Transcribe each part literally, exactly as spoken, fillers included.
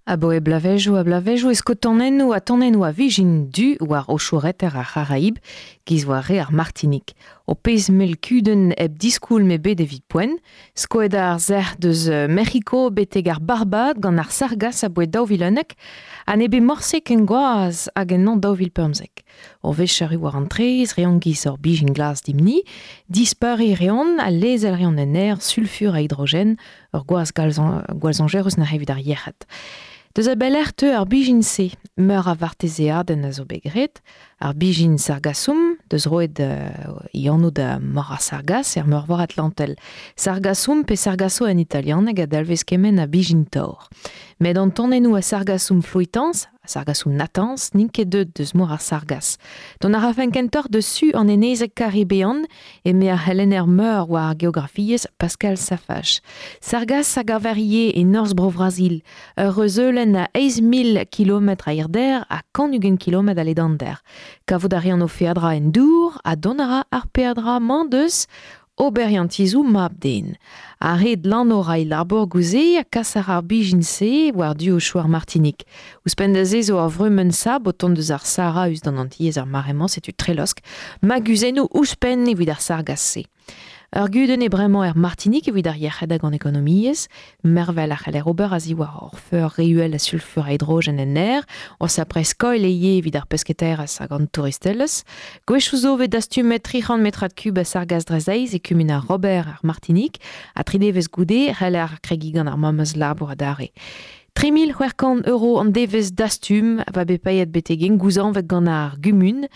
Aboe blavejoù a blavejoù e sko tonennoù a tonennoù a vijin du war o choureter ar C'haraib giz war re ar Martinik. O pezh mell kudenn hep diskoulm ebet evit poent, skoet ar zerc'h deus Mec'hiko betek ar Barbad gant ar Sargas aboe daou vil unnek, ha ne bet morse ken gwaz hag en an daou vil pemzek. O wech arru war an trez, reont giz ur bijin glas dimni, dispeuriñ reont ha lezel reont en aer sulfur a hidrogen, ur gwaz gwallzañjerus na evit ar yec'hed. Deus a belec'h teu ar bijin-se, meur a vartezeadenn a zo bet graet, ar bijin Sargassum, deus roet uh, e anv da mor ar Sargas er meurvor Atlantel. Sargassum pe Sargasso en italianeg a dalvez kement a bijin tor. Met an tonennoù a Sargassum fluitans, a Sargassum natans, n'int ket deut deus mor ar Sargas. Dont a rafen kentoc'h deus su an enezeg Karibean eme ar c'helenner meur war ar geografiezh Pascal Safach. Sargas a gaver ivez e norzh Bro-Brazil, ur reuzeulenn a eizh mil kilometr a hirder ha kant ugent kilometr a ledander. Kavout a reont o feadra en dour ha dont a ra ar peadra-mañ deus oberiantizoù mab-den. Ar red lanv ra e labour gouze ha kas ar ar bijin-se war du o chouar Martinik. Ouzhpenn da se zo ar vrumenn sab o tont deus ar Sahara us d'an Antilhez ar mare-mañ, setu trelosk, maguzennoù ouzhpenn evit ar Sargas-se. Ur gudenn eo bremañ er Martinik evit ar yec'hed hag an ekonomiezh, mervel a c'heller ober a ziwar ur feur re uhel a sulfur a hidrogen en aer, o sapre skoilh eo evit ar pesketaerezh hag an touristelezh. Gwechoù zo vez dastumet tri c'hant metrad kub a Sargas drezeiz e kumun ar Robert ar Martinik, ha tri devezh goude c'heller ar kregiñ gant ar memes labour adarre. Tri mil c'hwec'h kant euro an devezh dastum va bet paeet betek engouzañvet gant ar gumun,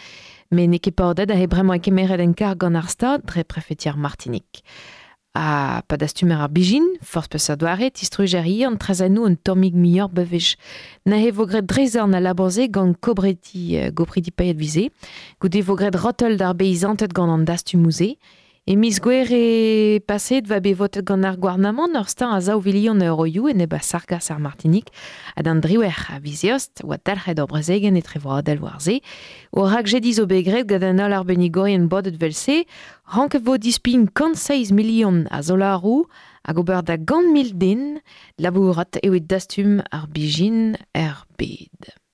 met n'eo ket paodet a bremañ e kemeret en karg gant ar Stad dre prefetier Martinik. Ha pa dastumer ar bijin, forzh peseurt doare, tistrujer ivez an traezhennoù un tammig muioc'h bewech. Neuze vo graet drezorn al labour-se gant kobreti, gopridi paeet vize. Goude vo graet rotel d'ar beizanted gant an dastumoù-se. E miz Gouere paset va bet votet gant ar gouarnamant ur steuñv a zaou vilion euroioù enep a Sargas ar Martinik ha d'an driwec'h a viz Eost oa dalc'het ur brezegenn etrevroadel war se. O rakjediñ zo bet graet gant an holl arbennigourien bodet vel-se, ranket vo dispign kant seizh milion a zolaroù hag ober da gant mil den labourat evit dastum ar bijin er bed.